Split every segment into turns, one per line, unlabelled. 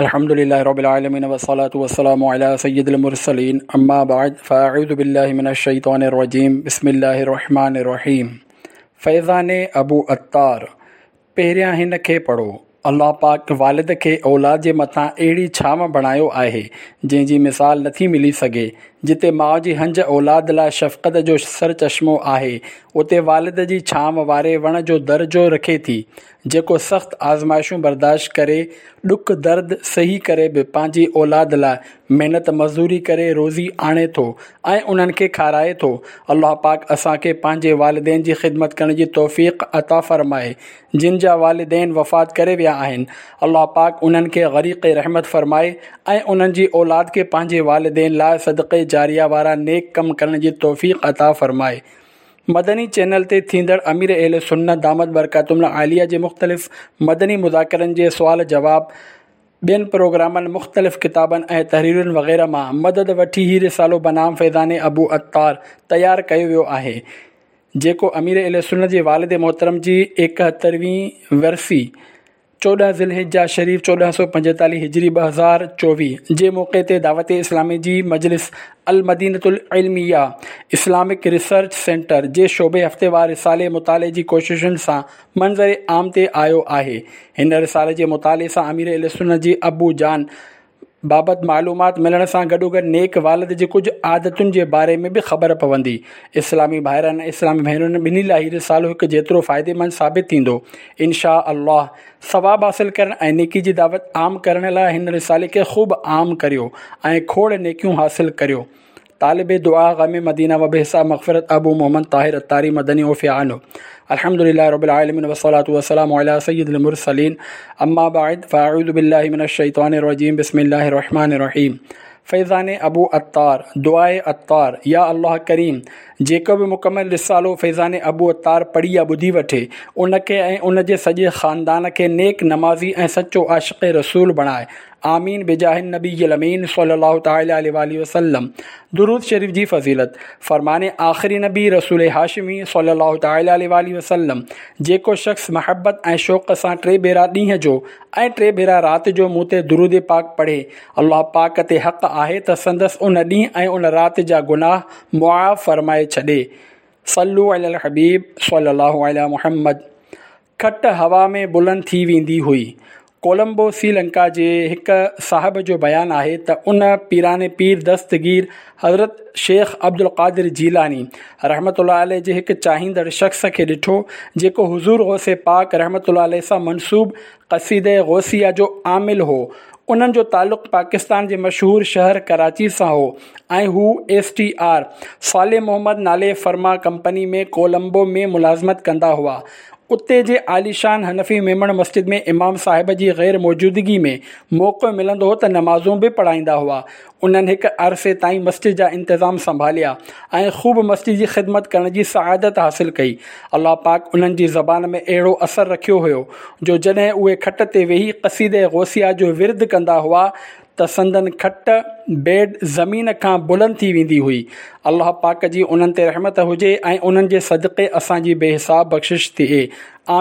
الحمد لله رب العالمين والصلاة والسلام على سيد المرسلين اما بعد فاعوذ بالله من الشيطان الرجيم بسم الله الرحمن الرحيم فيضان ابو عطار پهريان هن کي پڙهو. الله پاڪ والد کي اولاد جي مٿان اهڙي ڇانو بڻايو آهي، جنهن جي مثال نٿي ملي سگهي. جتي ماء جي هنج اولاد لاء شفقت جو سرچشمو آهي، اتي والد جي ڇانو واري وڻ جو درجو رکي ٿي، جيڪو سخت آزمائشون برداشت ڪري، ڏک درد سهي ڪري به پنهنجي اولاد لاء محنت مزدوري ڪري روزي آڻي ٿو ۽ انهن کي کارائي ٿو. الله پاڪ اسان کي پنهنجي والدين جي خدمت ڪرڻ جي توفيق عطا فرمائي. جن جا والدين وفات ڪري ويا آهن، الله پاڪ انهن کي غريق رحمت فرمائي ۽ انهن جي اولاد کي پنهنجي والدين لاء صدقي جاريه وارا نيڪ ڪم ڪرڻ جي توفيق عطا فرمائي. مدني چينل تي ٿيندڙ امير اهل سنت دامت برڪاتهم العاليه جي مختلف مدني مذاڪرن جي سوال جواب، ٻين پروگرامن، مختلف ڪتابن ۽ تحريرن وغيره مان مدد وٺي هي رسالو بنام فيضان ابو عطار تيار ڪيو ويو آهي، جيڪو امير اهل سنت جي والد محترم جي ايڪهترهين ورسي، 14 ذوالحجه شريف 1445 هجري 2024 جي موقعي تي دعوت اسلامي جي مجلس المدينة العلميه اسلامڪ ريسرچ سينٽر جي شعبي هفتيوار رسالي مطالعي جي ڪوششن سان منظر عام تي آيو آهي. هن رسالي جي مطالعي سان امير اهلسنت جي ابو جان بابت معلومات ملڻ سان گڏوگڏ نيڪ والد جي ڪجهه عادتن جي باري ۾ به خبر پوندي. اسلامي ڀائرن ۽ اسلامي ڀينرن ٻنهي لاء هي رسالو هڪ جيترو فائديمند ثابت ٿيندو. ان شاء الله. ثواب حاصل ڪرڻ ۽ نيڪي جي دعوت عام ڪرڻ لاء هن رسالي کي خوب عام ڪريو ۽ کوڙ نيڪيون حاصل ڪريو. طالب دعا غم مدينه و بحساب مغفرت ابو محمد طاهر الطاري مدني عفي عنه الحمد لله رب العالمين والصلاة والسلام على سيد المرسلين اما بعد فاعوذ بالله من الشيطان الرجيم بسم الله الرحمن الرحيم فيضان ابو عطار دعاء عطار يا الله ڪريم جيڪو به مڪمل رسالو فيضان ابو عطار پڙهي يا ٻڌي وٺي ان کي ۽ ان جي سڄي خاندان کي نيڪ نمازي ۽ سچو عاشق رسول بڻائي آمين بجاه النبي الامين صلي الله تعالي عليه واله وسلم درود شريف جي فضيلت فرمان آخري نبي رسول هاشمي صلي الله تعالي عليه واله وسلم جيڪو شخص محبت ۽ شوق سان ٽي ڀيرا ڏينهن جو ۽ ٽي ڀيرا رات جو مون تي درود پاڪ پڙهي الله پاڪ تي حق آهي ته سندس ان ڏينهن ۽ ان رات جا گناهه معاف فرمائي ڇڏي صلو علی الحبيب صلي الله علي محمد کٽ هوا ۾ بلند ٿي ويندي هئي. ڪولمبو سري لنڪا جي هڪ صاحب جو بيان آهي ته ان پيران پير دستگير حضرت شيخ عبدالقادر جيلاني رحمة الله عليه جي هڪ چاهيندڙ شخص کي ڏٺو جيڪو حضور غوث پاڪ رحمة الله عليه سان منسوب قصيده غوثيه جو عامل هو. انهن جو تعلق پاڪستان جي مشهور شهر ڪراچي سان هو ۽ هو S T R Saleh Muhammad نالي فرما ڪمپني ۾ ڪولمبو ۾ ملازمت ڪندا هئا. اتي جي عاليشان حنفي ميمڻ مسجد ۾ امام صاحب جي غير موجودگي ۾ موقعو ملندو هو ته نمازون به پڙهائيندا هئا. انهن هڪ عرصي تائين مسجد جا انتظام سنڀاليا ۽ خوب مسجد جي خدمت ڪرڻ جي سعادت حاصل ڪئي. الله پاڪ انهن جي زبان ۾ اهڙو اثر رکيو هيو جو جڏهن اهي کٽ تي ويهي قصيده غوثيه جو ورد ڪندا هئا ته سندن کٽ، بيڊ، زمين کان بلند ٿي ويندي هئي. الله پاڪ جي انهن تي رحمت هجي ۽ انهن جي صدقي اسان جي بي حساب بخشش ٿئي.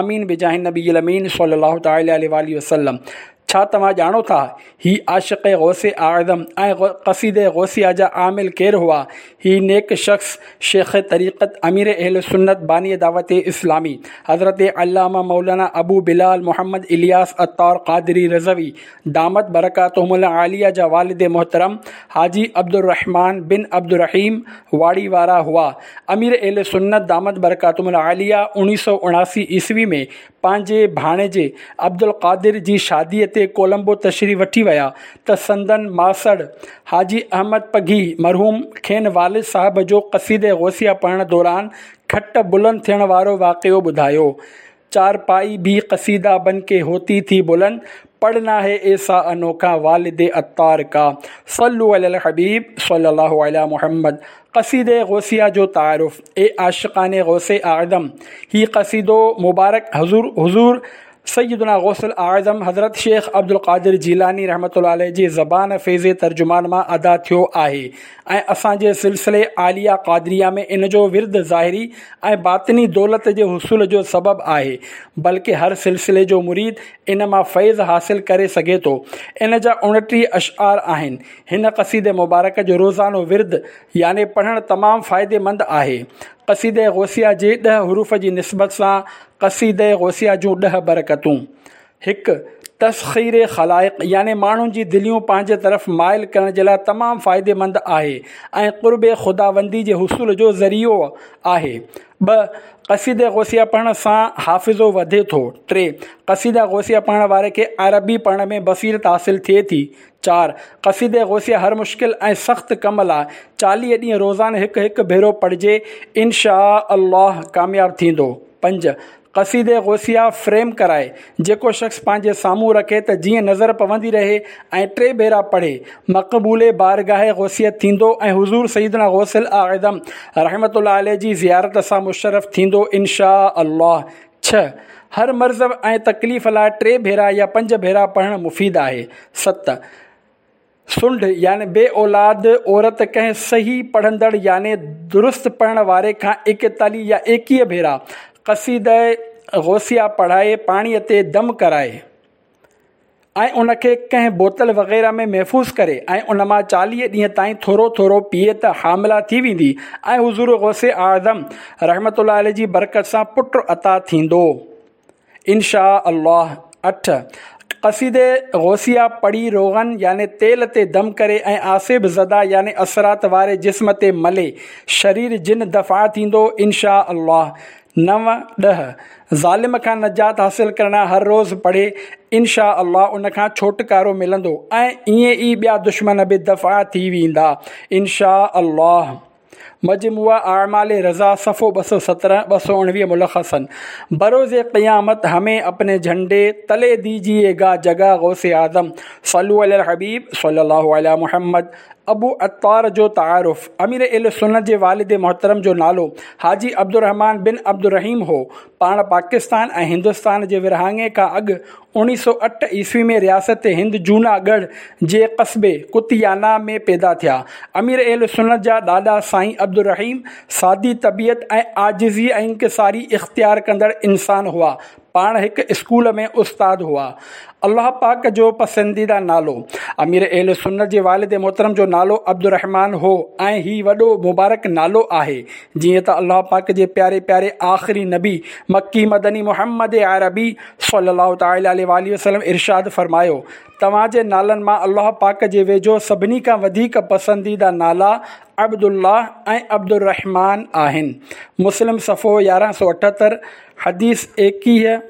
آمين بجاه النبي الامين صلي الله تعالي عليه واله وسلم. ڇا توهان ڄاڻو ٿا هي عاشق غوث اعظم ۽ قصيده غوثيه جا عامل ڪير هئا؟ هي نيڪ شخص شيخ طريقت امير اهل سنت باني دعوت اسلامي حضرت علامه مولانا ابو بلال محمد الياس عطار قادري رضوي دامت برڪاتهم العاليه جا والد محترم حاجي عبدالرحمان بن عبدالرحيم واڙي وارا هئا. امير اهل سنت دامت برڪاتهم العاليه 1979 عيسوي ۾ پنهنجي ڀاڻيجي عبدالقادر جي شاديء تي ڪولمبو تشريف وٺي ويا ته سندن ماسڙ حاجي احمد پگهي مرحوم کين والد صاحب جو قصيده غوثيه پڙهڻ دوران کٽ بلند ٿيڻ وارو واقعو ٻڌايو. چارپائي ڀي قصيده بن ڪي هوتي ٿي بلند، پڙهنا هي ايسا انوکا والد عطار ڪا، صلو علي الحبيب صلي الله علي محمد قصيده غوثيه جو تعارف، اي عاشقان غوث اعظم! هي قصيدو مبارڪ حضور حضور سيدنا غوث الاعظم حضرت شيخ عبدالقادر جيلاني رحمة الله عليه جي زبان فيض ترجمان مان ادا ٿيو آهي ۽ اسان جي سلسلي عاليه قادريه ۾ ان جو ورد ظاهري ۽ باطني دولت جي حصول جو سبب آهي بلڪه هر سلسلي جو مريد ان مان فيض حاصل ڪري سگهي ٿو. ان جا 29 اشعار آهن. هن قصيده مبارڪ جو روزانو ورد يعني پڙهڻ تمام فائديمند آهي. قصيده غوثيه جي ڏهه حروف جي نسبت سان قصيده غوثيه جون ڏهه برڪتون. هڪ، تسخير خلائق يعني ماڻهن جي دليون پنهنجي طرف مائل ڪرڻ جي لاء تمام فائديمند آهي ۽ قرب خداوندي جي حصول جو ذريعو آهي. ٻه، قصيده غوثيه پڙهڻ سان حافظو وڌي ٿو. ٽي، قصيده غوثيه پڙهڻ واري کي عربي پڙهڻ ۾ بصيرت حاصل ٿئي ٿي. چار، قصيده غوثيه هر مشڪل ۽ سخت ڪم لاء 40 ڏينهن روزانه هڪ هڪ ڀيرو پڙهجي ان شآء الله ڪامياب ٿيندو. پنج، قصيده غوثيه فريم ڪرائي جيڪو شخص پنهنجي سامهون رکي ته جيئن نظر پوندي رهي ۽ ٽي ڀيرا پڙهي مقبول بارگاهه غوثيت ٿيندو ۽ حضور سيدنا غوث الاعظم رحمة الله عليه جي زيارت سان مشرف ٿيندو ان شآء الله. ڇهه، هر مرض ۽ تڪليف لاء ٽي ڀيرا يا پنج ڀيرا پڙهڻ مفيد آهي. ست، سنڍ يعني بي اولاد عورت ڪنهن صحيح پڙهندڙ يعني درست پڙهڻ واري کان 41 يا 21 ڀيرا قصيده غوثيه پڙهائي پاڻيء تي دم ڪرائي ۽ ان کي ڪنهن بوتل وغيره ۾ محفوظ ڪري ۽ ان مان 40 ڏينهن تائين ٿورو ٿورو پيئي ته حامله ٿي ويندي ۽ حضور غوث اعظم رحمة الله عليه جي برڪت سان پٽ عطا ٿيندو ان شاء الله. اٺ، قصيده غوثيه پڙهي روغن يعني تيل تي دم ڪري ۽ آسيب زده يعني اثرات واري جسم تي ملي شرير جن دفع ٿيندو ان شاء الله. نو، ڏهه، ظالم کان نجات حاصل ڪرڻ هر روز پڙهي ان شاء الله ان کان ڇوٽڪارو ملندو ۽ ائين ئي ٻيا دشمن به دفع ٿي ويندا ان شاء الله. مجموعه اعمال رضا صفحو 217، 219 ملخصاً بروز قيامت همين اپني جهنڊي تلي ديجيي گا جگه غوث اعظم صلو علي الحبيب صلي الله علي محمد ابو عطار جو تعارف، امير اهل سنت جي والد محترم جو نالو حاجي عبدالرحمان بن عبدالرحيم هو. پاڻ پاڪستان ۽ هندستان جي ورهاڱي کان اڳ 1908 عيسوي ۾ رياست هند جونا ڳڙهه جي قصبي ڪتيانا ۾ پيدا ٿيا. امير اهل سنت جا ڏاڏا سائين عبدالرحيم سادي طبيعت ۽ عاجزي ۽ انڪساري اختيار ڪندڙ انسان هئا. پاڻ هڪ اسڪول ۾ استاد هئا. الله پاڪ جو پسنديده نالو. امير اهل سنت جي والد محترم جو نالو عبدالرحمان هو ۽ هي وڏو مبارڪ نالو آهي. جيئن ته الله پاڪ جي پياري پياري آخري نبي مڪي مدني محمد عربي صلي الله تعالٰي عليه واٰله وسلم ارشاد فرمايو، توهان جي نالن مان الله پاڪ جي ويجهو سڀني کان وڌيڪ پسنديده نالا عبدالله ۽ عبدالرحمان آهن. مسلم صفحو 1178. حديث 21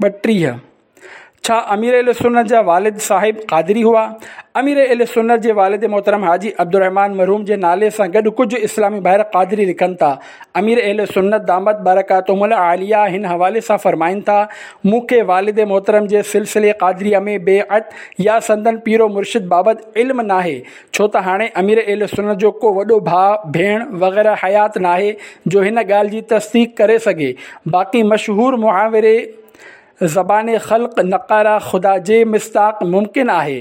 32. ڇا امير اهل سنت جا والد صاحب قادري هئا؟ امير اهل سنت جي والد محترم حاجي عبدالرحمان مرحوم جي نالي سان گڏ ڪجهه اسلامي ڀائر قادري لکن ٿا. امير اهل سنت دامت برڪاتهم العاليه هن حوالي سان فرمائن ٿا، مون کي والد محترم جي سلسلي قادريه ۾ بيعت يا سندن پير و مرشد بابت علم ناهي، ڇو ته هاڻي امير اهل سنت جو ڪو وڏو ڀاء، ڀيڻ وغيره حيات ناهي جو هن ڳالهه جي تصديق ڪري سگهي. باقي مشهور محاوري زبان خلق نقاره خدا جي مصداق ممڪن آهي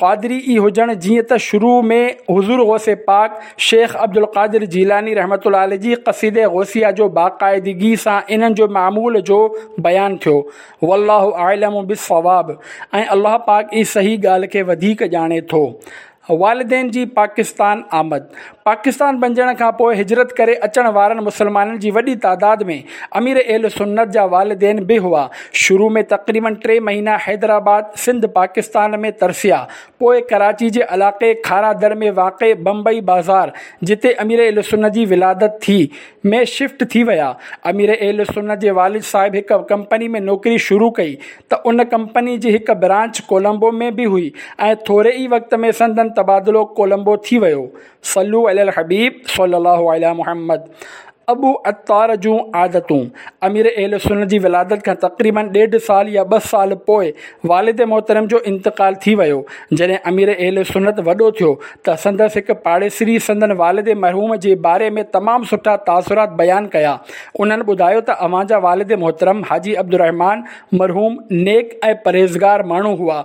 قادري ئي هجڻ جيئن ته شروع ۾ حضور غوث پاڪ شيخ عبدالقادر جيلاني رحمة الله عليه جي قصيده غوثيه جو باقاعدگي سان انهن جو معمول جو بيان ٿيو. والله اعلم بالصواب ۽ الله پاڪ ئي صحيح ڳالهه کي وڌيڪ ڄاڻي ٿو. والدين جي پاڪستان آمد، پاڪستان بنجڻ کان پوء هجرت ڪري اچڻ وارن مسلمانن جي وڏي تعداد ۾ امير اهل سنت جا والدين به هئا. شروع ۾ تقريبن ٽي مهينا حيدرآباد، سنڌ پاڪستان ۾ ترسيا. پوء ڪراچي جي علاقي کارادر ۾ واقع بمبئي بازار، جتي امير اهل سنت جي ولادت ٿي، ۾ شفٽ ٿي ويا. امير اهل سنت جي والد صاحب هڪ ڪمپني ۾ نوڪري شروع ڪئي ته ان ڪمپني جي هڪ برانچ ڪولمبو ۾ به هئي ۽ ٿوري ئي وقت ۾ سندن تبادلو ڪولمبو ٿي ويو. صلو علي الحبيب صلي الله علي محمد. ابو عطار جون عادتون، امير اهل سنت جي ولادت کان تقريباً ڏيڍ سال يا ٻه سال پوء والد محترم جو انتقال ٿي ويو. جڏهن امير اهل سنت وڏو ٿيو ته سندس هڪ پاڙيسري سندن والد مرحوم جي باري ۾ تمام سٺا تاثرات بيان ڪيا. انهن ٻڌايو ته اوهان جا والد محترم حاجي عبدالرحمان مرحوم نيڪ ۽ پرهيزگار ماڻهو هئا.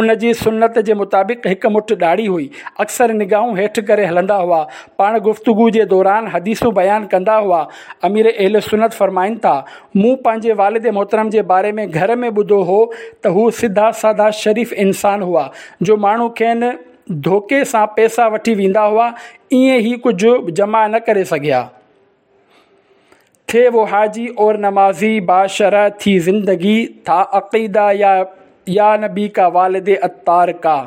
ان جي سنت جي مطابق هڪ مٺ ڏاڙهي هئي. اڪثر نگاهون هيٺ ڪري هلندا هئا. پاڻ گفتگو جي دوران حديثون بيان ڪندا هئا. امير اهل سنت فرمائن ٿا، مون پنهنجي والد محترم جي باري ۾ گهر ۾ ٻڌو هو ته هو سڌا سادا شريف انسان هئا، جو ماڻهو کين ڌوڪي سان پئسا وٺي ويندا هئا، ائين هي ڪجهه جمع نه ڪري سگهيا. ٿي وو حاجي اور نمازي باشرع ٿي زندگي ٿا عقيده يا يا نبي کا والد عطار کا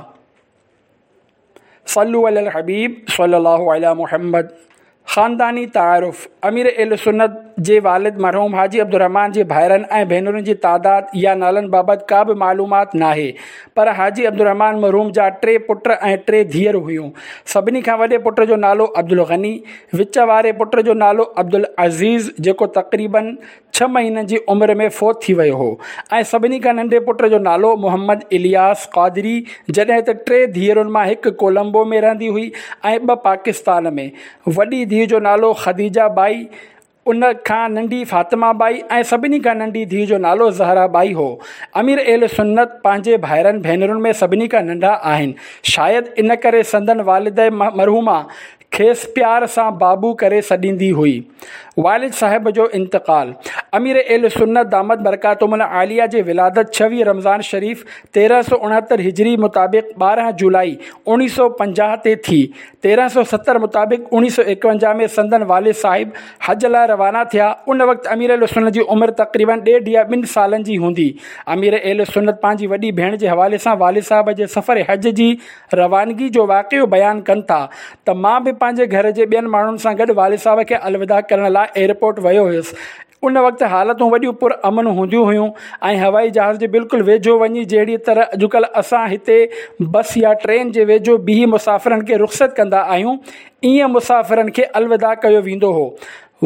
صلو علی الحبيب صلي الله علي محمد خانداني تعارف امير اهل سنت جي والد مرحوم حاجي عبدالرحمان جي ڀائرن ۽ ڀينرن جي تعداد يا نالن بابت ڪا به معلومات ناهي پر حاجي عبدالرحمان مرحوم جا ٽي پٽ ۽ ٽي ڌيئر هيون. سڀني کان وڏي پٽ جو نالو عبدالغني، وچ واري پٽ جو نالو عبدالعزيز جيڪو تقريباً ڇهه مهينن جي عمر ۾ فوت ٿي ويو هو ۽ سڀني کان ننڍي پٽ جو نالو محمد الياس قادري جڏهن ته ٽي ڌيئرن مان هڪ ڪولمبو ۾ رهندي هئي ۽ ٻه پاڪستان ۾. وڏي ڌيء جو نالو خديجه ٻائي، ان کان ننڍي فاطمه ٻائي ۽ سڀني کان ننڍي ڌيء جو نالو زهره ٻائي هو. امير اهل سنت پنهنجي ڀائرن ڀينرن ۾ سڀني کان ننڍا آهن. شايد ان ڪري سندن والده مرحومه کيس پيار سان بابو ڪري سڏيندي هئي. والد صاحب جو انتقال، امير اهل سنت دامت برڪاتهم العاليه جي ولادت 26 رمضان شريف 1369 هجري مطابق 12 جولائي 1950 تي ٿي. 1370 مطابق 1951 ۾ سندن والد صاحب حج لاء روانا ٿيا. ان وقت امير اهل سنت جي عمر تقريباً ڏيڍ يا ٻن سالن جي هوندي. امير اهل سنت پنهنجي وڏي ڀيڻ جي حوالي سان والد صاحب جي سفر حج جي روانگي جو واقعو بيان ڪن ٿا ته مان به پنهنجي گهر جي ٻين ماڻهن سان گڏ والد صاحب کي الوداع ڪرڻ لاء ايئرپورٽ ويو هيس. ان وقت حالتون وڏيون پر امن هونديون هيون ۽ هوائي جهاز جي بلڪل ويجهو وڃي جهڙي طرح اڄڪلهه اسان هتي بس يا ٽرين جي ويجهو بيهي مسافرن کي رخصت ڪندا آهيون ائين مسافرن کي الوداع ڪيو ويندو هو.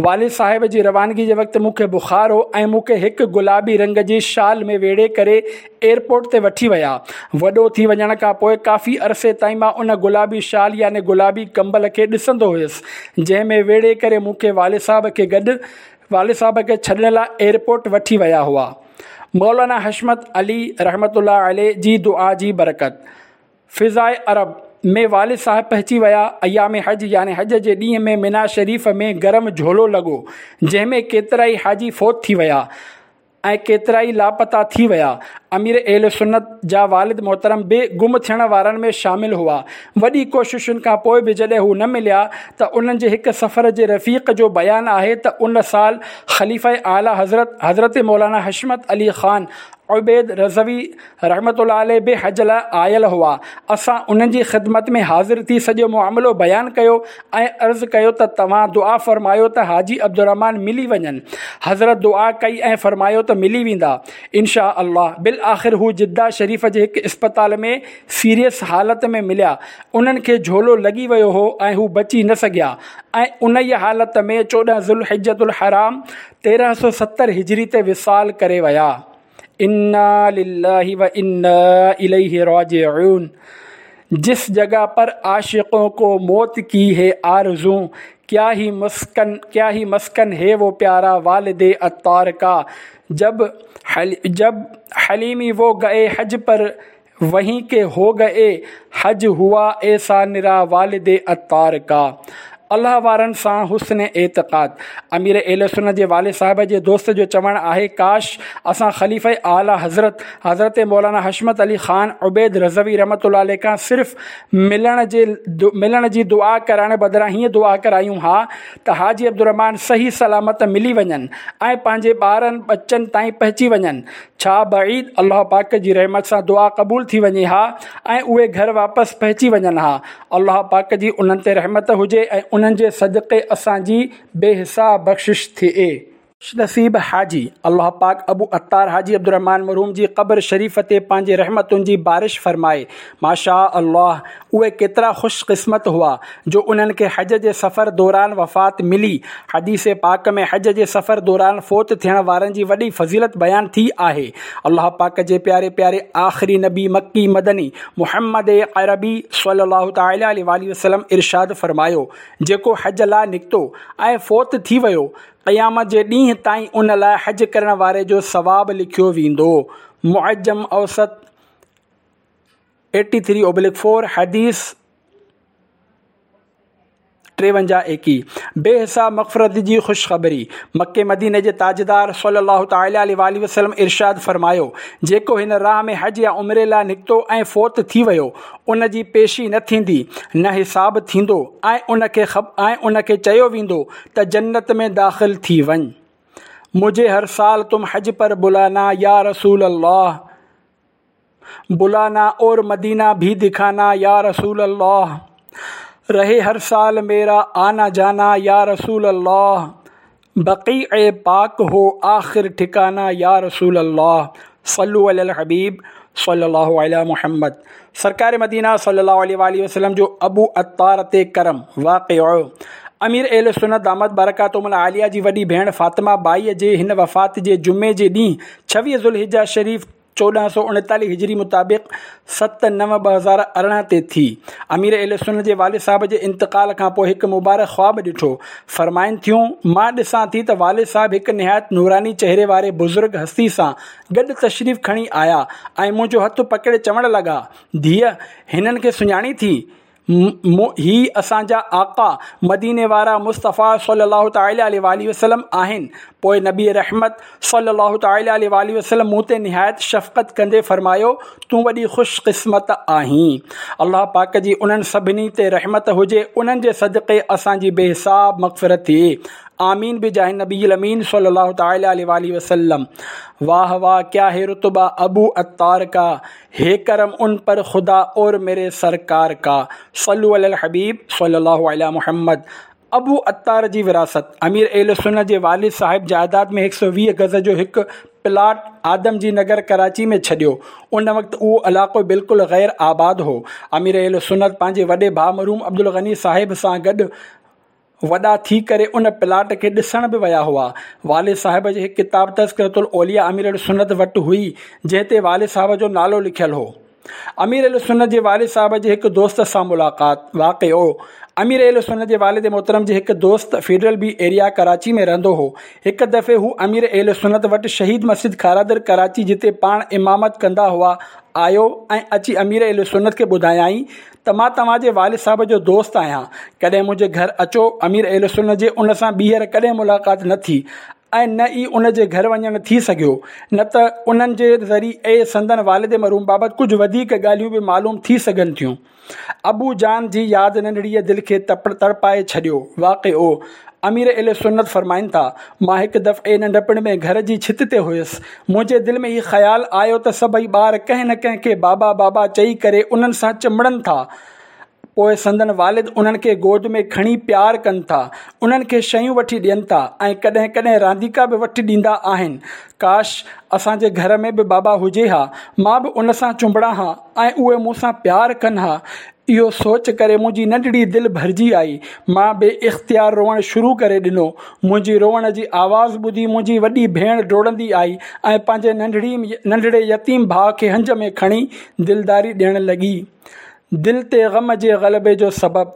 والد صاحب جي روانگي جي وقت مون کي بخار هو ۽ مون کي هڪ گلابي رنگ جي شال ۾ ويڙهي ڪري ايئرپورٽ تي وٺي ويا. وڏو ٿي وڃڻ کان پوء ڪافي عرصي تائين مان ان گلابي شال يعني گلابي ڪمبل کي ڏسندو هيس جنهن ۾ ويڙهي ڪري مون کي والد صاحب کي گڏ والد صاحب کي ڇڏڻ لاء ايئرپورٽ وٺي ويا هئا. مولانا حشمت علي رحمة الله عليه جي دعا جي برڪت. فضاء عرب ۾ والد صاحب پهچي ويا. ايام حج يعني حج جي ڏينهن ۾ منيٰ شريف ۾ گرم جهولو لڳو، جنهن ۾ ڪيترائي حاجي فوت ٿي ويا ۽ ڪيترائي لاپتا ٿي ويا. امير اهل سنت جا والد محترم به گم ٿيڻ وارن ۾ شامل هئا. وڏي ڪوششن کان پوء به جڏهن هو نه مليا ته انهن جي هڪ سفر جي رفيق جو بيان آهي ته ان سال خليفه اعليٰ حضرت حضرت مولانا حشمت علي خان عبيد رضوي رحمة الله عليه به حج لاء آيل هئا. اسان انهن جي خدمت ۾ حاضر ٿي سڄو معاملو بيان ڪيو ۽ عرض ڪيو ته توهان دعا فرمايو ته حاجي عبدالرحمان ملي وڃن. حضرت دعا ڪئي ۽ فرمايو ته ملي ويندا ان شاء الله. بالآخر هو جده شريف جي هڪ اسپتال ۾ سيريس حالت ۾ مليا. انهن کي جهولو لڳي ويو هو ۽ هو بچي نه سگهيا ۽ انهيء حالت ۾ 14 ذوالحجة الحرام 1370 هجري تي وصال ڪري ويا. انا لله و انا اليه راجعون جس جگه پر عاشقون کو موت کی هي آرزو کيا هي مسڪن کيا هي مسڪن هي وو پيارا والد عطار کا جب جب حليمي وو گئي حج پر وهين ڪي هو گئي حج هئا ايسا نرا والد عطار ڪا الله وارن سان حسن اعتقاد امير اهل سنت جي والد صاحب جي دوست جو چوڻ آهي ڪاش اسان خليفه اعليٰ حضرت حضرت مولانا حشمت علي خان عبيد رضوي رحمة الله عليه کان صرف ملڻ جي ملڻ جي دعا ڪرائڻ بدران هيئن دعا ڪرايون ها ته حاجي عبدالرحمان صحيح سلامت ملي وڃن ۽ پنهنجي ٻارن ٻچن تائين پهچي وڃن ڇا بعيد الله پاڪ جي رحمت سان دعا قبول ٿي وڃي ها ۽ اهي گهر واپس پهچي وڃن ها. الله پاڪ جي انهن تي رحمت هجي ۽ انهن جي صدقي اسان جي بي حساب بخشش ٿئي. خوش نصيب حاجي، الله پاڪ ابو عطار حاجي عبدالرحمان مرحوم جي قبر شريف تي پنهنجي رحمتن جي بارش فرمائي. ماشاء الله اهي ڪيترا خوش قسمت هئا جو انهن کي حج جي سفر دوران وفات ملي. حديث پاڪ ۾ حج جي سفر دوران فوت ٿيڻ وارن جي وڏي فضيلت بيان ٿي آهي. الله پاڪ جي پياري پياري آخري نبي مڪي مدني محمد عربي صلي الله تعالٰي عليه واٰله وسلم ارشاد فرمايو، جيڪو حج لاء نڪتو ۽ فوت ٿي ويو، قيامت جي ڏينهن تائين ان لاء حج ڪرڻ واري جو ثواب لکيو ويندو. معجم اوسط 83/4 حديث 53 21. بي حساب مغفرت جي خوشخبري، مڪي مديني جي تاجدار صلّي الله تعالٰي عليه واٰله وسلّم ارشاد فرمايو، جيڪو هن راهه ۾ حج يا عمري لاء نڪتو ۽ فوت ٿي ويو، ان جي پيشي نه ٿيندي، نه حساب ٿيندو ۽ ۽ ان کي چيو ويندو ته جنت ۾ داخل ٿي وڃ. مجهي هر سال تم حج پر بلانا يا رسول الله بلانا اور مدينه ڀي دکانا يا رسول الله رهي هر سال ميرا آنا جانا يا رسول الله بقيع پاڪ هو آخر ٺڪانا يا رسول الله صلو علي الحبيب صلي الله علي محمد سرڪار مدينه صلي الله عليه واٰله وسلم جو ابو عطار تي ڪرم، واقعو، امير اهل سنت دامت برڪاتهم العاليه جي وڏي ڀيڻ فاطمه ٻائيء جي هن وفات جي جمعي جي ڏينهن 26 ذوالحجه شريف 1439 هجري مطابق 7/9/2018 تي ٿي. امير اهل سنت جي والد صاحب جي انتقال کان پوء هڪ مبارڪ خواب ڏٺو. فرمائن ٿيون، مان ڏسان ٿي ته والد صاحب هڪ نهايت نوراني چهري واري بزرگ هستي سان گڏ تشريف کڻي آيا ۽ منهنجو هٿ پڪڙي چوڻ لڳا، ڌيء! هنن کي سڃاڻين ٿي؟ هي اسان جا آقا، مديني وارا مصطفيٰ صلّي الله تعالٰي عليه واٰله وسلّم آهن. پوء نبي رحمت صلّي الله تعالٰي عليه واٰله وسلّم مون تي نهايت شفقت ڪندي فرمايو، تون وڏي خوش قسمت آهين. الله پاڪ جي انهن سڀني تي رحمت هجي، انهن جي صدقي اسان جي بي حساب مغفرت ٿئي. آمين بجاه النبي الامين صلي الله تعالي عليه واٰله وسلم واه واه ڪيا هي رتبه ابو عطار ڪا هي ڪرم ان پر خدا اور ميري سرڪار ڪا صلو علي الحبيب صلي الله علي محمد ابو عطار جي وراثت، امير اهل سنت جي والد صاحب جائداد ۾ 120 گز جو هڪ پلاٽ آدم جي نگر ڪراچي ۾ ڇڏيو. ان وقت اهو علائقو بلڪل غير آباد هو. امير اهل سنت پنهنجي وڏي ڀاء مرحوم عبدالغني صاحب سان گڏ وڏا ٿي ڪري ان پلاٽ کي ڏسڻ به ويا هئا. والد صاحب جي هڪ ڪتاب تذڪرة الاولياء امير اهلسنت وٽ هئي، جنهن تي والد صاحب جو نالو لکيل هو. امير اهلسنت جي والد صاحب جي هڪ دوست سان ملاقات. واقعو، امير اهلسنت جي والد محترم جي هڪ دوست فيڊرل بي ايريا ڪراچي ۾ رهندو هو. هڪ دفعي هو امير اهلسنت وٽ شهيد مسجد کارادر ڪراچي جتي پاڻ امامت ڪندا هئا آيو ۽ اچي امير اهلسنت کي ٻڌايائين ته مان توهان جي والد صاحب جو دوست آهيان، ڪڏهن منهنجي گهر اچو، امير اهلسنت جي ان سان ٻيهر ڪڏهن ملاقات نه ٿي ۽ نه ئي ان جي گهر وڃڻ ٿي سگهيو، نه ته انهن جي ذريعي سندن والد مرحوم بابت ڪجهه وڌيڪ ڳالهيون به معلوم ٿي سگهن ٿيون. ابو جان جي ياد ننڍڙيء دل کي تڙپائي ڇڏيو. واقعو، امير اهل سنت فرمائن ٿا، مان هڪ دفعي ننڍپڻ ۾ گهر جي ڇت تي هيس، منهنجي دل ۾ هي خيال آيو ته سڀئي ٻار ڪنهن نه ڪنهن کي بابا بابا چئي ڪري انهن سان چنبڙن ٿا، پوء سندن والد انهن کي گود ۾ کڻي پيار ڪن ٿا، انهن کي شيون وٺي ڏين ٿا ۽ ڪڏهن ڪڏهن رانديڪا به وٺي ڏيندا آهن. ڪاش! اسان جي گهر ۾ به بابا هجي ها، مان به ان سان چنبڙان ها ۽ اهي مون سان پيار ڪن ها. اهو سوچ ڪري منهنجي ننڍڙي دل ڀرجي آئي. مان بي اختيار روئڻ شروع ڪري ڏنو. منهنجي روئڻ جي آواز ٻڌي منهنجي وڏي ڀيڻ ڊوڙندي آئي ۽ پنهنجي ننڍڙي ننڍڙي يتيم ڀاء کي هنج ۾ کڻي دلداري ڏيڻ لڳي. دل تي غم جي غلبي جو سبب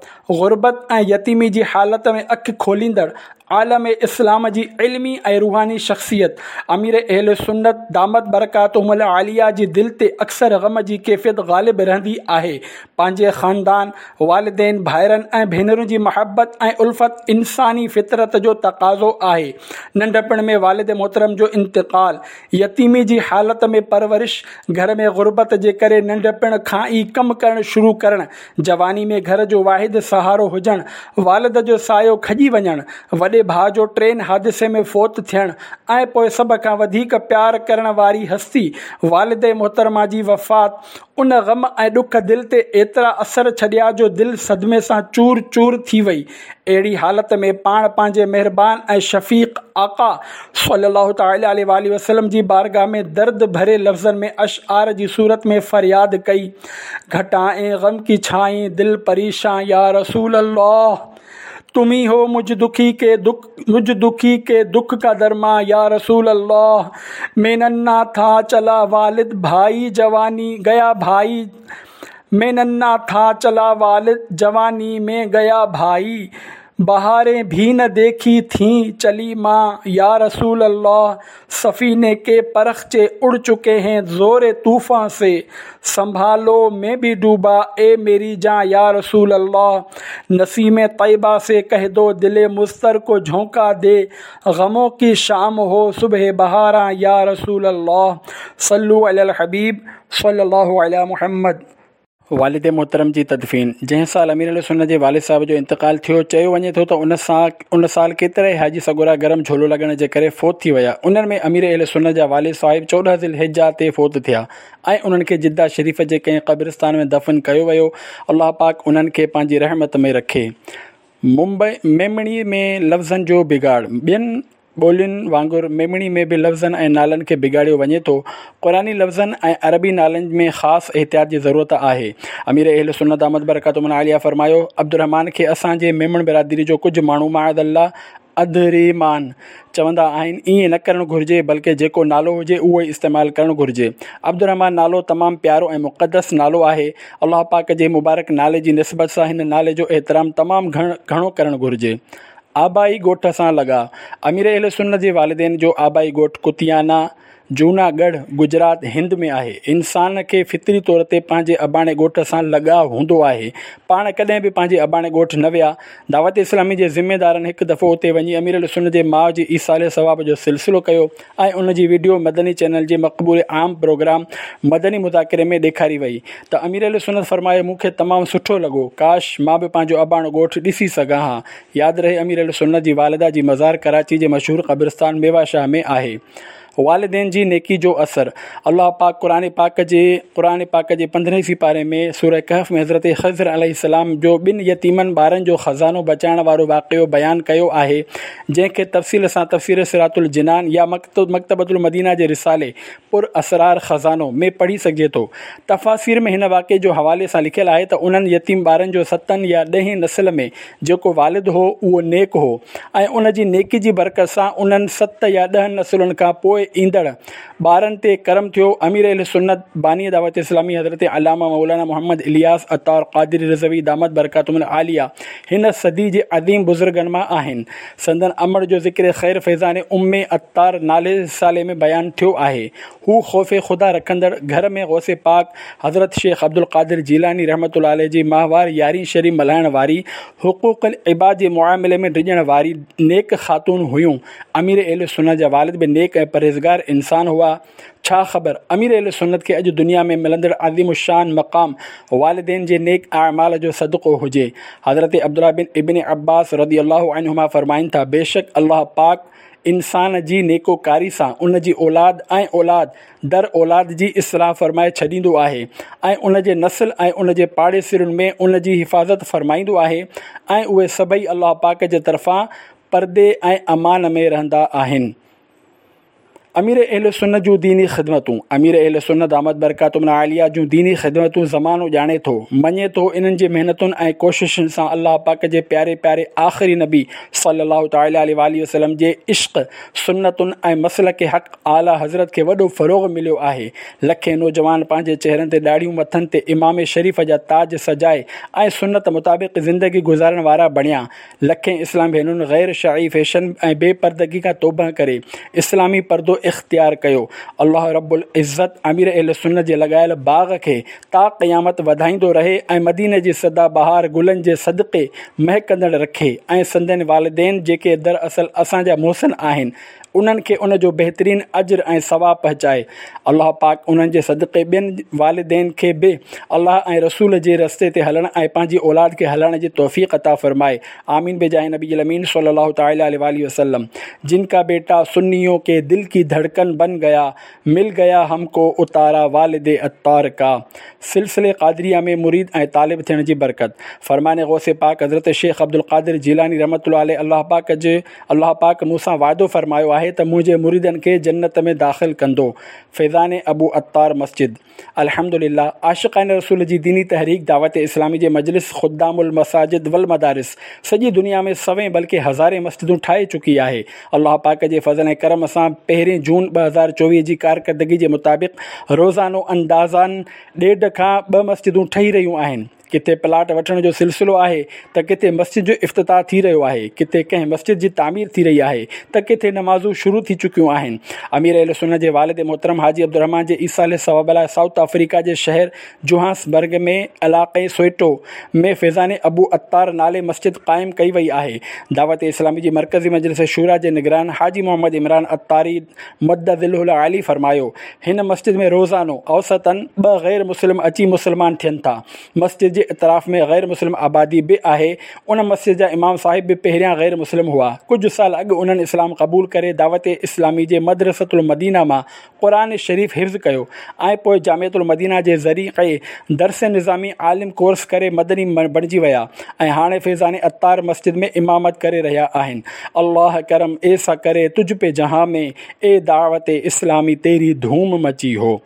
غربت ۽ يتيمي جي حالت ۾ اک کوليندڙ عالم اسلام جي علمي ۽ روحاني شخصيت امير اهل سنت دامت برڪاتهم العاليه جي دل تي اڪثر غم جي ڪيفيت غالب رهندي آهي. پنهنجي خاندان، والدين، ڀائرن ۽ ڀينرن جي محبت ۽ الفت انساني فطرت جو تقاضو آهي. ننڍپڻ ۾ والد محترم جو انتقال، يتيمي جي حالت ۾ پرورش، گهر ۾ غربت جي ڪري ننڍپڻ کان ئي ڪم ڪرڻ شروع ڪرڻ، جواني ۾ گهر جو واحد سهارو هجڻ، والد جو سايو کڄي وڃڻ، وڏي وڏي ڀاء جو ٽرين حادثي ۾ فوت ٿيڻ ۽ پوء سڀ کان وڌيڪ پيار ڪرڻ واري هستي والده محترمه جي وفات ان غم ۽ ڏک دل تي ايترا اثر ڇڏيا جو دل صدمي سان چور چور ٿي وئي. اهڙي حالت ۾ پاڻ پنهنجي مهربان ۽ شفيق آقا صلّي الله تعالٰي عليه واٰله وسلّم جي بارگاھ ۾ درد ڀري لفظن ۾ اشعار جي صورت ۾ فرياد ڪئي، گهٽائين غم ڪي ڇائين دل پريشان يا رسول الله! تم هي هو مجھ دکي ڪي دک مجھ دکي ڪي دک ڪا درمان يا رسول الله! مين ننها ٿا چلا والد ڀائي جواني گيا ڀائي مين ننها ٿا چلا والد جواني مين گيا ڀائي بهارين ڀي نه ديکي ٿين چلي مان يا رسول الله سفيني ڪي پرخچي اڙ چڪي هين زور طوفان سي سنڀالو مين ڀي ڊوبا اي ميري جان يا رسول الله نسيم طيبه سي ڪهه دو دل مضطر ڪو جهونڪا the غمون ڪي شام هو صبح بهاران يا رسول الله صلو علي الحبيب صلي الله علي محمد. والد محترم جي تدفين، جنهن سال امير اهل سنت جي والد صاحب جو انتقال ٿيو، چيو وڃي ٿو ته ان سان ان سال ڪيترائي حاجي سڳورا گرم جهولو لڳڻ جي ڪري فوت ٿي ويا، انهن ۾ امير اهل سنت جا والد صاحب 14 ذي الحجه تي فوت ٿيا ۽ انهن کي جده شريف جي ڪنهن قبرستان ۾ دفن ڪيو ويو، الله پاڪ انهن کي پنهنجي رحمت ۾ رکي. ممبئي، ميمڻي ۾ لفظن جو بگاڙ، ٻين ٻولين وانگر ميمڻي ۾ به لفظن ۽ نالن کي بگاڙيو وڃي ٿو. قرآني لفظن ۽ عربي نالن ۾ خاص احتياط جي ضرورت آهي. امير اهل سنت دامت برڪاتهم العاليه فرمايو، عبدالرحمان کي اسان جي ميمڻ برادري جو ڪجهه ماڻهو معاذ الله اڌريمان چوندا آهن، ائين نه ڪرڻ گهرجي بلڪه جيڪو نالو هجي اهو ئي استعمال ڪرڻ گهرجي. عبدالرحمان نالو تمام پيارو ۽ مقدس نالو آهي. الله پاڪ جي مبارڪ نالي جي نسبت سان هن نالي جو احترام تمام گهڻو ڪرڻ گهرجي. آبائي ڳوٺ سان لڳاء، امير اهل سنت جي والدين جو آبائي ڳوٺ ڪتيانا، جونا ڳڙهه، گجرات، هند ۾ آهي. انسان کي فطري طور تي پنهنجي اباڻي ڳوٺ سان لڳاء هوندو آهي. پاڻ ڪڏهن به پنهنجي اباڻي ڳوٺ نه ويا. دعوت اسلامي جي ذميدارن هڪ دفعو اتي وڃي امير اهل سنت جي ماء جي ايصال ثواب جو سلسلو ڪيو ۽ ان جي وڊيو مدني چينل جي مقبول عام پروگرام مدني مذاڪري ۾ ڏيکاري وئي ته امير اهل سنت فرمايو مون کي تمام سٺو لڳو ڪاش مان به پنهنجو اباڻو ڳوٺ ڏسي سگهان ها. ياد رهي امير اهل سنت جي والده جي مزار ڪراچي جي مشهور قبرستان ميوا شاهه ۾ آهي. والدين جي نيڪي جو اثر، الله پاڪ قرآن پاڪ جي قرآن پاڪ جي پندرهين سيپاري ۾ سوره ڪهف ۾ حضرت خضر عليه السلام جو ٻن يتيمن ٻارن جو خزانو بچائڻ وارو واقعو بيان ڪيو آهي جنهن کي تفصيل سان تفسير صراط الجنان يا مڪتبة المدينه جي رسالي پر اسرار خزانو ۾ پڙهي سگهجي ٿو. تفاسير ۾ هن واقعي جو حوالي سان لکيل آهي ته انهن يتيم ٻارن جو ستن يا ڏهين نسل ۾ جيڪو والد هو اهو نيڪ هو ۽ ان جي نيڪي جي برڪت سان انهن ست يا ڏهن نسلن کان پوء ايندڙ ٻارن تي ڪرم ٿيو. امير اهل سنت باني دعوت اسلامي حضرت علامه مولانا محمد الياس عطار قادري رضوي دامت برڪاتهم العاليه هن صدي جي عظيم بزرگن مان آهن. سندن امڙ جو ذڪر خير فيضان ام عطار نالي رسالي ۾ بيان ٿيو آهي. هو خوف خدا رکندڙ، گهر ۾ غوث پاڪ حضرت شيخ عبدالقادر جيلاني رحمة الله عليه جي ماهوار يارهين شريف ملهائڻ واري، حقوق العباد جي معاملي ۾ ڊڄڻ واري نيڪ خاتون هيون. امير اهل سنت جا والد به نيڪ ۽ پرهيزگار انسان هئا. ڇا خبر امير اهل سنت کي اڄ دنيا ۾ ملندڙ عظيم الشان مقام والدين جي نيڪ اعمال جو صدقو هجي. حضرت عبدالله بن ابن عباس رضي الله عنهما فرمائن ٿا، بيشڪ الله پاڪ انسان جي نيڪوڪاري سان ان جي اولاد ۽ اولاد در اولاد جي اصلاح فرمائي ڇڏيندو آهي ۽ ان جي نسل ۽ ان جي پاڙيسرين ۾ ان جي حفاظت فرمائيندو آهي ۽ اهي سڀئي الله پاڪ جي طرفان پردي ۽ امان ۾ رهندا آهن. امير اهل سنت جون ديني خدمتون، امير اهل سنت دامت برڪاتهم العاليه جون ديني خدمتون زمانو ڄاڻي ٿو، مڃي ٿو، انهن جي محنتن ۽ ڪوششن سان الله پاڪ جي پياري پياري آخري نبي صلي الله تعالٰي عليه واٰله وسلم جي عشق، سنتن ۽ مسلڪ حق اعليٰ حضرت کي وڏو فروغ مليو آهي. لکين نوجوان پنهنجي چهرن تي ڏاڙهيون مٿن تي عمامي شريف جا تاج سجائي ۽ سنت مطابق زندگي گذارڻ وارا بڻيا. لکين اسلام ڀينرن غير شرعي فيشن ۽ بي پردگي کان توبهه ڪري اسلامي پردو اختيار ڪيو. الله رب العزت امير اهل سنت جي لڳايل باغ کي تا قيامت وڌائيندو رهي ۽ مديني جي سدا بهار گلن جي صدقي مهڪندڙ رکي ۽ سندن والدين جيڪي دراصل اسان جا محسن آهن. انهن کي ان جو بهترين اجر ۽ ثواب پهچائي. الله پاڪ انهن جي صدقي ٻين والدين کي به الله ۽ رسول جي رستي تي هلڻ ۽ پنهنجي اولاد کي هلائڻ جي توفيق عطا فرمائي. آمين بجاه نبي الامين صلي الله تعالي عليه واٰله وسلم. جن ڪا بيٽا سنيون ڪي دل ڪي ڌڙڪن بن گيا مل گيا هم ڪو اتارا والد عطار ڪا. سلسلي قادريه ۾ مريد ۽ طالب ٿيڻ جي برڪت. فرمان غوث پاڪ حضرت شيخ عبدالقادر جيلاني رحمة الله عليه الله پاڪ جي الله پاڪ مون سان وعدو فرمايو آهي ته منهنجي مريدن کي جنت ۾ داخل ڪندو. فيضان ابو عطار مسجد. الحمد لله عاشقان رسول جي ديني تحريڪ دعوت اسلامي جي مجلس خدام المساجد والمدارس سڄي دنيا ۾ سوين بلڪه هزارين مسجدون ٺاهي چڪي آهي. الله پاڪ جي فضل ۽ ڪرم سان پهرين جون 2024 جي ڪارڪردگي جي مطابق روزانو اندازاً ڏيڍ کان ٻه مسجدون ٺهي رهيون آهن. ڪٿي پلاٽ وٺڻ جو سلسلو آهي ته ڪٿي مسجد جو افتتاح ٿي رهيو آهي، ڪٿي ڪنهن مسجد جي تعمير ٿي رهي آهي ته ڪٿي نمازون شروع ٿي چڪيون آهن. امير اهلسنت جي والد محترم حاجي عبدالرحمان جي ايصال ثواب لاء سائوٿ آفريڪا جي شهر جوهانسبرگ ۾ علائقي سوئيٽو ۾ فيضان ابو عطار نالي مسجد قائم ڪئي وئي آهي. دعوت اسلامي جي مرڪزي مجلس شوريٰ جي نگران حاجي محمد عمران عطاري مد ظله العالي فرمايو، هن مسجد ۾ روزانو اوسطاً ٻه غير مسلم اچي مسلمان ٿين ٿا. مسجد جي اطراف ۾ غير مسلم آبادي به آهي. ان مسجد جا امام صاحب به پهريان غير مسلم هئا. ڪجهه سال اڳ انهن اسلام قبول ڪري دعوت اسلامي جي مدرسة المدينه مان قرآن شريف حفظ ڪيو ۽ پوء جامعة المدينه جي ذريعي درس نظامي عالم ڪورس ڪري مدني بڻجي ويا ۽ هاڻي فيضان عطار مسجد ۾ امامت ڪري رهيا آهن. الله ڪرم ايسا ڪري تجھ پي جهان ۾ اي دعوت اسلامي تيري ڌوم مچي هو.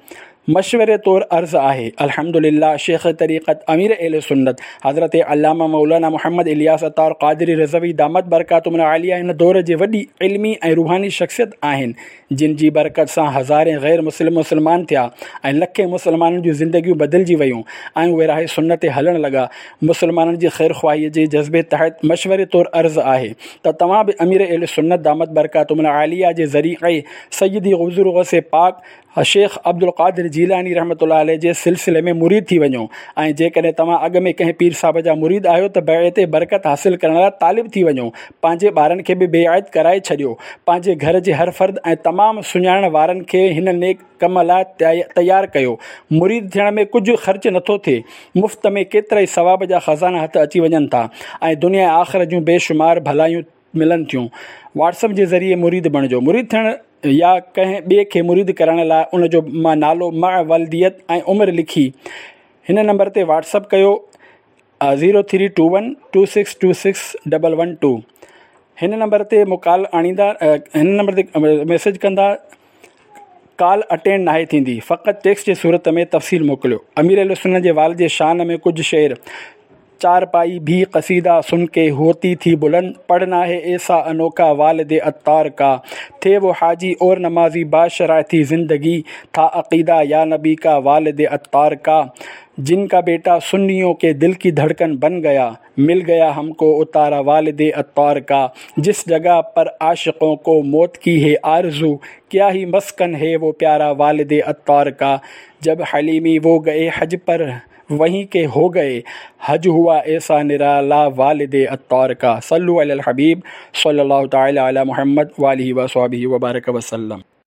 مشوري طور عرض آهي، الحمد لله شيخ طريقت امير اهل سنت حضرت علامه مولانا محمد الياس عطار قادري رضوي دامت برڪاتهم العاليه هن دور جي وڏي علمي ۽ روحاني شخصيت آهن جن جي برڪت سان هزارين غير مسلم مسلمان ٿيا ۽ لکين مسلمانن جون زندگيون بدلجي ويون ۽ اهي راهه سنت تي هلڻ لڳا. مسلمانن جي خيرخواهيء جي جذبي تحت مشوري طور عرض آهي ته توهان به امير اهل سنت دامت برڪاتهم العاليه جي ذريعي سيدي حضور غوث پاڪ شيخ عبدالقادر جيلاني رحمة الله عليه جي سلسلي ۾ مريد ٿي وڃو ۽ جيڪڏهن توهان اڳ ۾ ڪنهن پير صاحب جا مريد آهيو ته بيعت برڪت حاصل ڪرڻ لاء طالب ٿي وڃو پنهنجي ٻارن کي به بيعت ڪرائي ڇڏيو پنهنجي گهر جي هر فرد ۽ تمام سڃاڻڻ وارن کي هن نيڪ ڪم لاء تيار ڪيو مريد ٿيڻ ۾ ڪجهه خرچ نٿو ٿئي مفت ۾ ڪيترائي ثواب جا خزانا هٿ اچي وڃن ٿا ۽ دنيا ۽ آخرت جون بي شمار ڀلايون ملن ٿيون. واٽس اپ جي ذريعي مريد بڻجو. مريد ٿيڻ يا ڪنهن ٻئي کي مريد ڪرائڻ لاء ان جو نالو، مع ولديت ۽ عمر لکي هن نمبر تي واٽس اپ ڪيو zero three two one two six two six double one two هن نمبر تي مڪال آڻيندا هن نمبر تي ميسيج ڪندا ڪال اٽينڊ ناهي ٿيندي فقط ٽيڪسٽ جي صورت ۾ تفصيل موڪليو امير اهلسنت جي والد جي شان ۾ ڪجهه شعر چارپائي ڀي قصيده سن ڪي هوتي ٿي بلند پڙهنا هي ايسا انوکا والد عطار ڪا ٿي وو حاجي اور نمازي باشرع ٿي زندگي ٿا عقيده يا نبي ڪا والد عطار ڪا جن ڪا بيٽا سنيون ڪي دل ڪي ڌڙڪن بن گيا مل گيا هم ڪو اتارا والد عطار ڪا جس جگه پر عاشقون ڪو موت ڪي هي آرزو ڪيا هي مسڪن هي وو پيارا والد عطار ڪا جب حليمي وو گئي حج پر وهين ڪي هو گئي حج هوا ايسا نرالا والد عطار ڪا صلو علي الحبيب صلي الله تعالي علي محمد واله وصحبه وبارڪ وسلم.